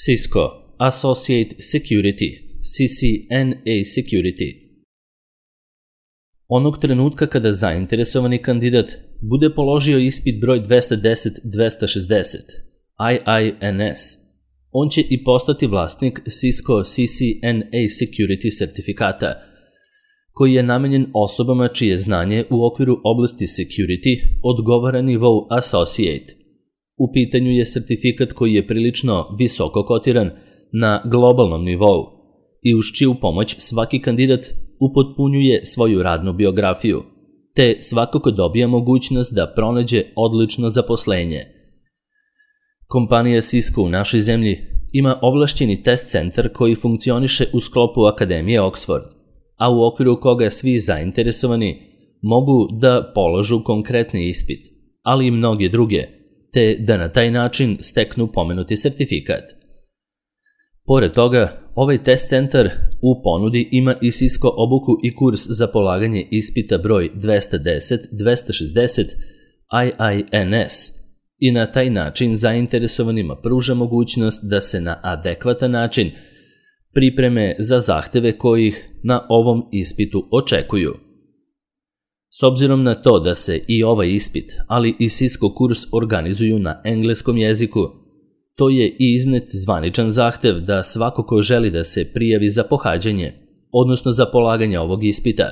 Cisco Associate Security, CCNA Security. Onog trenutka kada zainteresovani kandidat bude položio ispit broj 210-260, IINS, on će i postati vlasnik Cisco CCNA Security sertifikata, koji je namenjen osobama čije znanje u okviru oblasti security odgovara nivou Associate. U pitanju je sertifikat koji je prilično visoko kotiran na globalnom nivou i uz čiju pomoć svaki kandidat upotpunjuje svoju radnu biografiju, te svakako dobija mogućnost da pronađe odlično zaposlenje. Kompanija Cisco u našoj zemlji ima ovlašćeni test centar koji funkcioniše u sklopu Akademije Oxford, a u okviru koga svi zainteresovani mogu da polažu konkretni ispit, ali i mnoge druge, te da na taj način steknu pomenuti sertifikat. Pored toga, ovaj test centar u ponudi ima i Cisco obuku i kurs za polaganje ispita broj 210-260 IINS i na taj način zainteresovanima pruža mogućnost da se na adekvatan način pripreme za zahteve kojih na ovom ispitu očekuju. S obzirom na to da se i ovaj ispit, ali i Cisco kurs organizuju na engleskom jeziku, to je i iznet zvaničan zahtev da svako ko želi da se prijavi za pohađanje, odnosno za polaganje ovog ispita,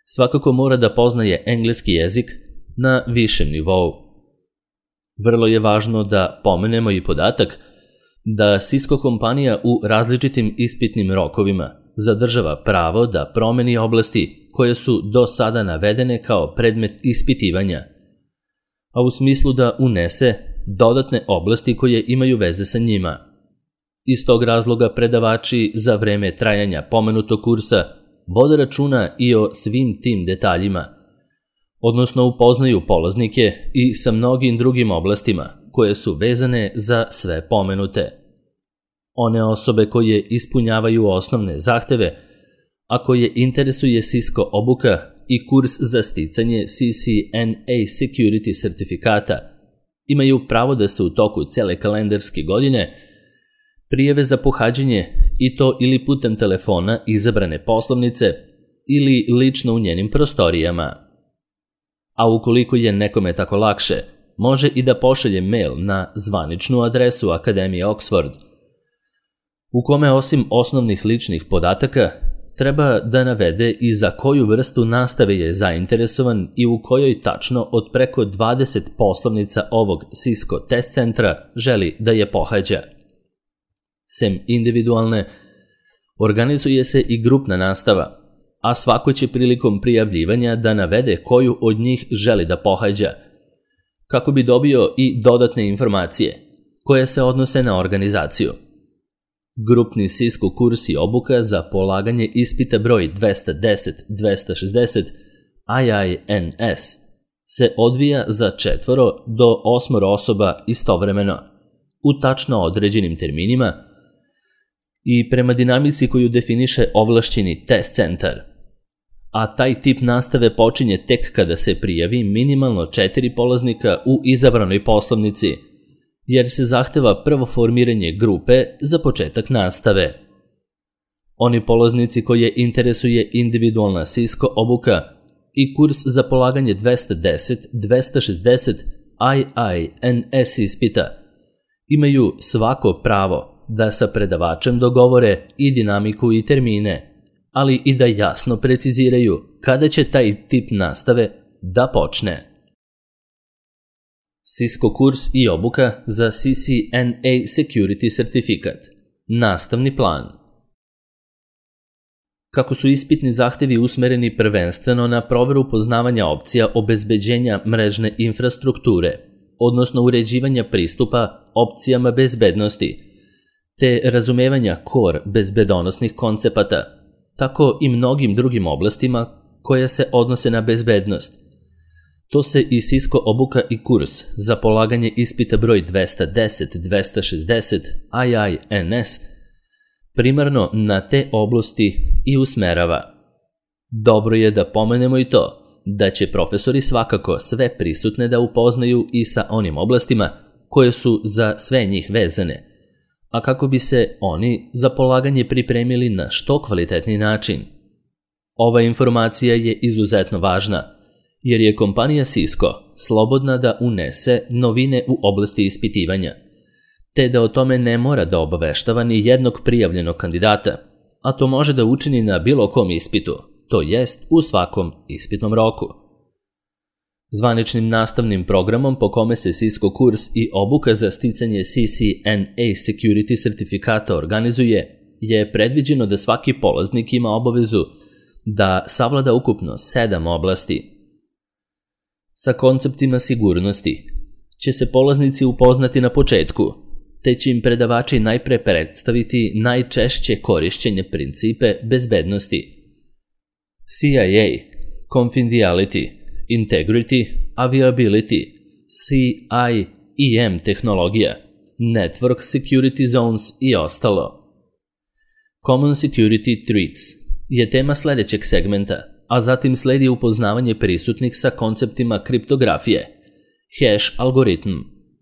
svakako mora da poznaje engleski jezik na višem nivou. Vrlo je važno da pomenemo i podatak da Cisco kompanija u različitim ispitnim rokovima zadržava pravo da promeni oblasti koje su do sada navedene kao predmet ispitivanja, a u smislu da unese dodatne oblasti koje imaju veze sa njima. Iz tog razloga predavači za vreme trajanja pomenutog kursa vode računa i o svim tim detaljima, odnosno upoznaju polaznike i sa mnogim drugim oblastima koje su vezane za sve pomenute. One osobe koje ispunjavaju osnovne zahteve, a koje interesuje Cisco obuka i kurs za sticanje CCNA Security sertifikata, imaju pravo da se u toku cele kalendarske godine prijave za pohađanje i to ili putem telefona izabrane poslovnice ili lično u njenim prostorijama. A ukoliko je nekome tako lakše, može i da pošalje mail na zvaničnu adresu Akademije Oxford, u kome osim osnovnih ličnih podataka treba da navede i za koju vrstu nastave je zainteresovan i u kojoj tačno od preko 20 poslovnica ovog Cisco test centra želi da je pohađa. Sem individualne, organizuje se i grupna nastava, a svako će prilikom prijavljivanja da navede koju od njih želi da pohađa, kako bi dobio i dodatne informacije koje se odnose na organizaciju. Grupni Cisco kurs i obuka za polaganje ispita broj 210-260 IINS se odvija za 4 do 8 osoba istovremeno, u tačno određenim terminima i prema dinamici koju definiše ovlašćeni test centar. A taj tip nastave počinje tek kada se prijavi minimalno 4 polaznika u izabranoj poslovnici, jer se zahteva prvo formiranje grupe za početak nastave. Oni polaznici koje interesuje individualna Cisco obuka i kurs za polaganje 210-260 IINS ispita imaju svako pravo da sa predavačem dogovore i dinamiku i termine, ali i da jasno preciziraju kada će taj tip nastave da počne. Cisco kurs i obuka za CCNA Security sertifikat. Nastavni plan. Kako su ispitni zahtevi usmereni prvenstveno na proveru poznavanja opcija obezbeđenja mrežne infrastrukture, odnosno uređivanja pristupa opcijama bezbednosti, te razumevanja core bezbedonosnih koncepata, tako i mnogim drugim oblastima koje se odnose na bezbednost. To se i Cisco obuka i kurs za polaganje ispita broj 210-260 IINS primarno na te oblasti i usmerava. Dobro je da pomenemo i to da će profesori svakako sve prisutne da upoznaju i sa onim oblastima koje su za sve njih vezane, a kako bi se oni za polaganje pripremili na što kvalitetniji način. Ova informacija je izuzetno važna, jer je kompanija Cisco slobodna da unese novine u oblasti ispitivanja, te da o tome ne mora da obaveštava ni jednog prijavljenog kandidata, a to može da učini na bilo kom ispitu, to jest u svakom ispitnom roku. Zvaničnim nastavnim programom po kome se Cisco kurs i obuka za sticanje CCNA Security sertifikata organizuje, je predviđeno da svaki polaznik ima obavezu da savlada ukupno 7 oblasti. Sa konceptima sigurnosti će se polaznici upoznati na početku, te će im predavači najpre predstaviti najčešće korišćenje principe bezbednosti. CIA, Confidentiality, Integrity, Availability, CIEM tehnologija, Network Security Zones i ostalo. Common Security Threats je tema sledećeg segmenta, a zatim sledi upoznavanje prisutnih sa konceptima kriptografije, hash algoritm,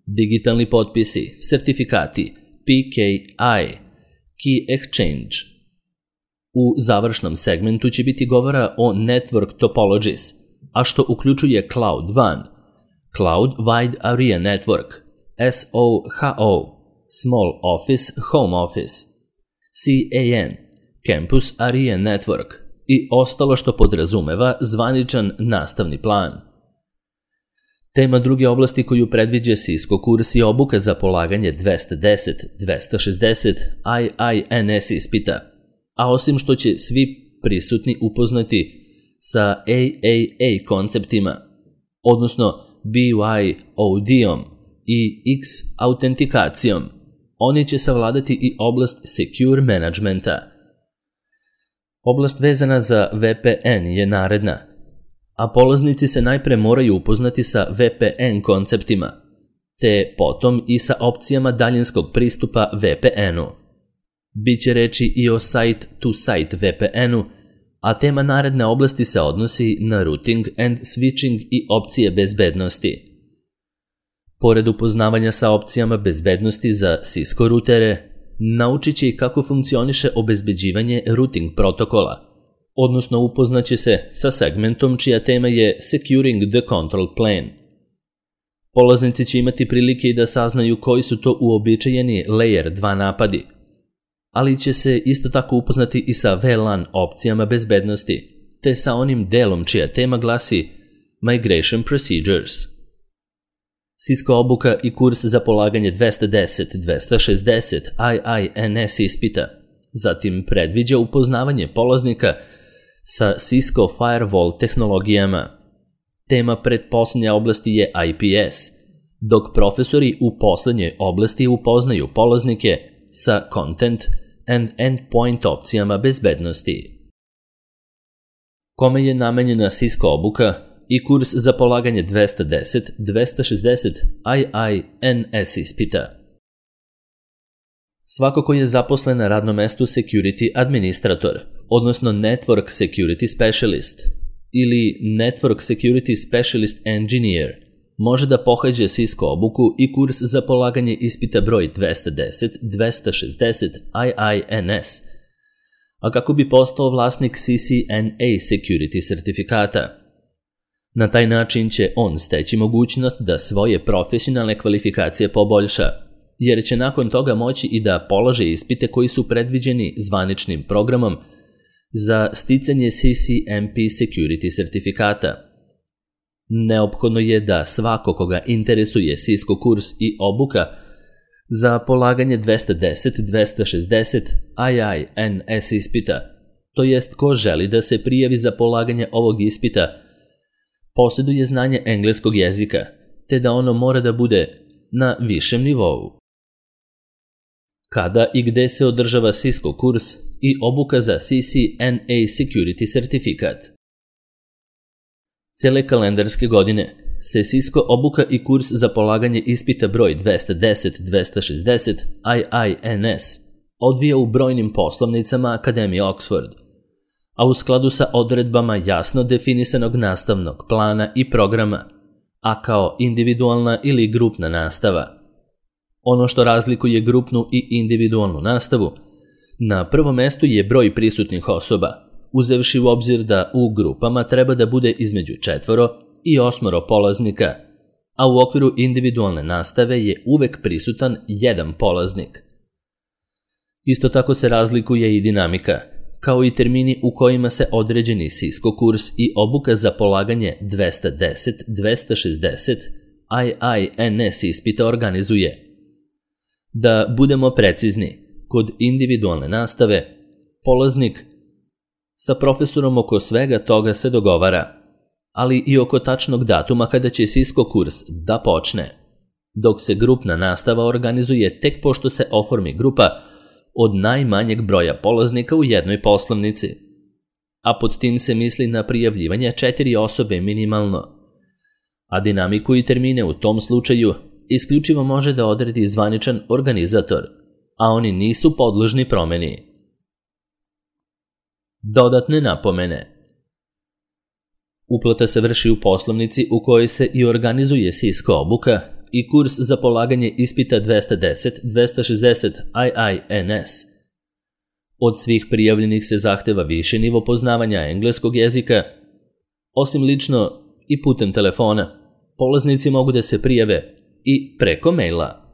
digitalni potpisi, sertifikati, PKI, Key Exchange. U završnom segmentu će biti govora o Network Topologies, a što uključuje Cloud WAN, Cloud Wide Area Network, SOHO, Small Office Home Office, CAN, Campus Area Network i ostalo što podrazumeva zvaničan nastavni plan. Tema druge oblasti koju predviđa Cisco kurs je obuka za polaganje 210-260 IINS ispita, a osim što će svi prisutni upoznati sa AAA konceptima, odnosno BYOD-om i X-autentikacijom, oni će savladati i oblast Secure Managementa. Oblast vezana za VPN je naredna, a polaznici se najpre moraju upoznati sa VPN konceptima, te potom i sa opcijama daljinskog pristupa VPN-u. Biće reči i o site-to-site VPN-u, a tema naredne oblasti se odnosi na routing and switching i opcije bezbednosti. Pored upoznavanja sa opcijama bezbednosti za Cisco rutere, naučit će i kako funkcioniše obezbeđivanje routing protokola, odnosno upoznaće se sa segmentom čija tema je Securing the Control Plane. Polaznici će imati prilike i da saznaju koji su to uobičajeni Layer 2 napadi, ali će se isto tako upoznati i sa VLAN opcijama bezbednosti, te sa onim delom čija tema glasi Migration Procedures. Cisco obuka i kurs za polaganje 210-260 IINS ispita, zatim predviđa upoznavanje polaznika sa Cisco Firewall tehnologijama. Tema pretposlednje oblasti je IPS, dok profesori u poslednjoj oblasti upoznaju polaznike sa Content and Endpoint opcijama bezbednosti. Kome je namenjena Cisco obuka i kurs za polaganje 210-260 IINS ispita? Svako ko je zaposlen na radnom mestu Security Administrator, odnosno Network Security Specialist ili Network Security Specialist Engineer, može da pohađe Cisco obuku i kurs za polaganje ispita broj 210-260 IINS, a kako bi postao vlasnik CCNA Security sertifikata. Na taj način će on steći mogućnost da svoje profesionalne kvalifikacije poboljša, jer će nakon toga moći i da polaže ispite koji su predviđeni zvaničnim programom za sticanje CCNP Security sertifikata. Neophodno je da svako koga interesuje Cisco kurs i obuka za polaganje 210-260 IINS ispita, to jest ko želi da se prijavi za polaganje ovog ispita, posjeduje znanje engleskog jezika, te da ono mora da bude na višem nivou. Kada i gde se održava Cisco kurs i obuka za CCNA Security sertifikat? Cele kalendarske godine se Cisco obuka i kurs za polaganje ispita broj 210-260 IINS odvija u brojnim poslovnicama Akademije Oxford, a u skladu sa odredbama jasno definisanog nastavnog plana i programa, a kao individualna ili grupna nastava. Ono što razlikuje grupnu i individualnu nastavu, na prvom mestu je broj prisutnih osoba, uzevši u obzir da u grupama treba da bude između 4 i 8 polaznika, a u okviru individualne nastave je uvek prisutan jedan polaznik. Isto tako se razlikuje i dinamika, kao i termini u kojima se određeni Cisco kurs i obuka za polaganje 210-260 IINS ispita organizuje. Da budemo precizni, kod individualne nastave, polaznik sa profesorom oko svega toga se dogovara, ali i oko tačnog datuma kada će Cisco kurs da počne, dok se grupna nastava organizuje tek pošto se oformi grupa od najmanjeg broja polaznika u jednoj poslovnici, a pod tim se misli na prijavljivanje 4 osobe minimalno, a dinamiku i termine u tom slučaju isključivo može da odredi zvaničan organizator, a oni nisu podložni promeni. Dodatne napomene. Uplata se vrši u poslovnici u kojoj se i organizuje Cisco obuka i kurs za polaganje ispita 210-260 IINS. Od svih prijavljenih se zahteva više nivo poznavanja engleskog jezika. Osim lično i putem telefona, polaznici mogu da se prijave i preko maila.